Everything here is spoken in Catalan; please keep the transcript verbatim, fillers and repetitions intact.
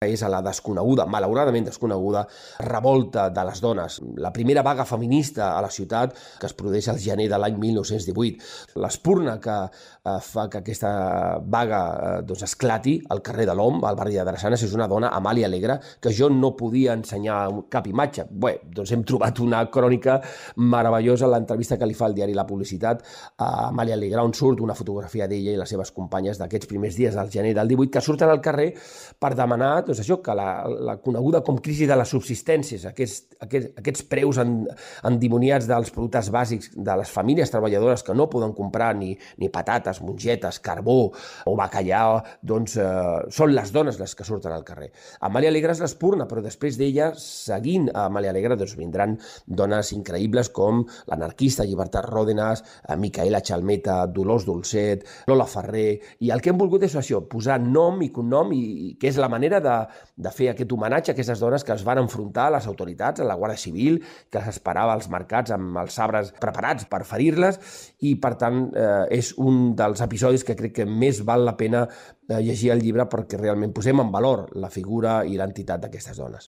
és a la desconeguda, malauradament desconeguda, revolta de les dones, la primera vaga feminista a la ciutat que es produeix al gener de l'any mil nou-cents divuit. L'espurna que eh, fa que aquesta vaga eh, doncs esclati al carrer de l'Om, al barri de Drassanes, és una dona, Amàlia Alegre, que jo no podia ensenyar cap imatge. Bé, doncs hem trobat una crònica meravellosa en l'entrevista que li fa el diari La Publicitat a Amàlia Alegre, on surt una fotografia d'ella i les seves companyes d'aquests primers dies del gener del divuit, que surten al carrer per demanar doncs això, que la, la coneguda com crisi de les subsistències, aquests, aquests, aquests preus en, endimoniats dels productes bàsics de les famílies treballadores que no poden comprar ni, ni patates, mongetes, carbó o bacallà, doncs eh, són les dones les que surten al carrer. Amàlia Alegre és l'espurna, però després d'ella, seguint a Amàlia Alegre, doncs vindran dones increïbles com l'anarquista Llibertat Ròdenas, Micaela Chalmeta, Dolors Dolcet, Lola Ferrer, i el que hem volgut és això, posar nom i cognom, i, i que és la manera de de fer aquest homenatge a aquestes dones que es van enfrontar a les autoritats, a la Guàrdia Civil, que les esperava als mercats amb els sabres preparats per ferir-les, i per tant eh, és un dels episodis que crec que més val la pena eh, llegir el llibre perquè realment posem en valor la figura i l'entitat d'aquestes dones.